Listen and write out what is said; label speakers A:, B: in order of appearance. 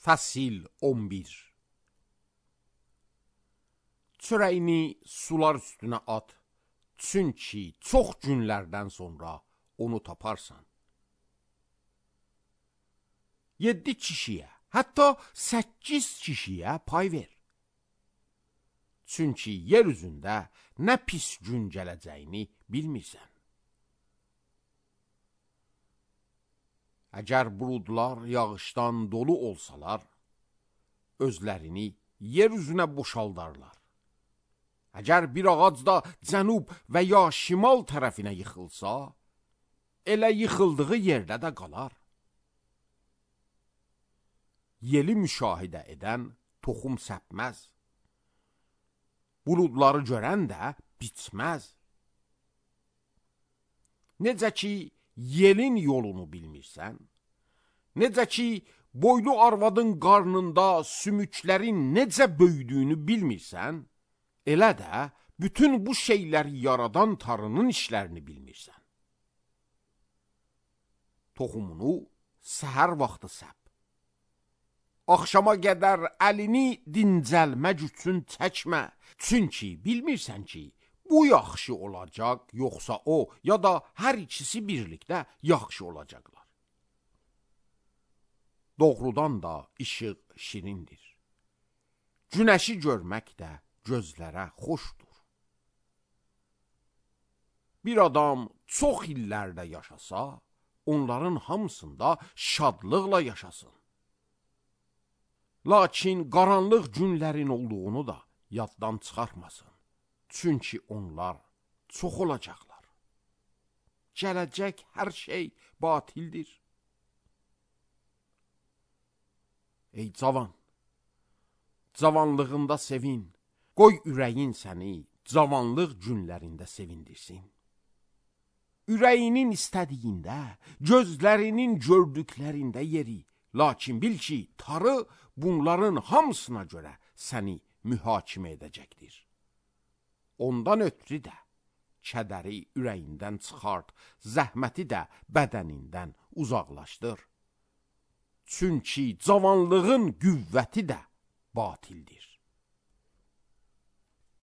A: Fəsil 11. Çörəyini sular üstünə at, çünki çox günlərdən sonra onu taparsan. 7 kişiyə, hətta 8 kişiyə pay ver. Çünki yer üzündə nə pis gün gələcəyini bilmirsən. Əgər buludlar yağışdan dolu olsalar, özlərini yer üzünə boşaldarlar. Əgər bir ağac da cənub və ya şimal tərəfinə yıxılsa, elə yıxıldığı yerdə də qalar. Yeli müşahidə edən toxum səpməz. Buludları görən də bitməz. Necə ki, yelin yolunu bilmirsən, necə ki, boylu arvadın qarnında sümüklərin necə böyüdüyünü bilmirsən, elə də bütün bu şeyləri yaradan Tanrının işlərini bilmirsən. Toxumunu səhər vaxtı səp. Axşama qədər əlini dincəlmək üçün çəkmə, çünki bilmirsən ki, bu yaxşı olacaq, yoxsa o, ya da hər ikisi birlikdə yaxşı olacaqlar. Doğrudan da işıq şirindir. Günəşi görmək də gözlərə xoşdur. Bir adam çox illərdə yaşasa, onların hamısında şadlıqla yaşasın. Lakin qaranlıq günlərin olduğunu da yaddan çıxarmasın. Çünki onlar çox olacaqlar. Gələcək hər şey batildir. Ey cavan, cavanlığında sevin, qoy ürəyin səni cavanlıq günlərində sevindirsin. Ürəyinin istədiyində, gözlərinin gördüklərində yeri, lakin bil ki, Tanrı bunların hamısına görə səni mühakimə edəcəkdir. Ondan ötürü də kədəri ürəyindən çıxart, zəhməti də bədənindən uzaqlaşdır. Çünki cavanlığın qüvvəti də batildir.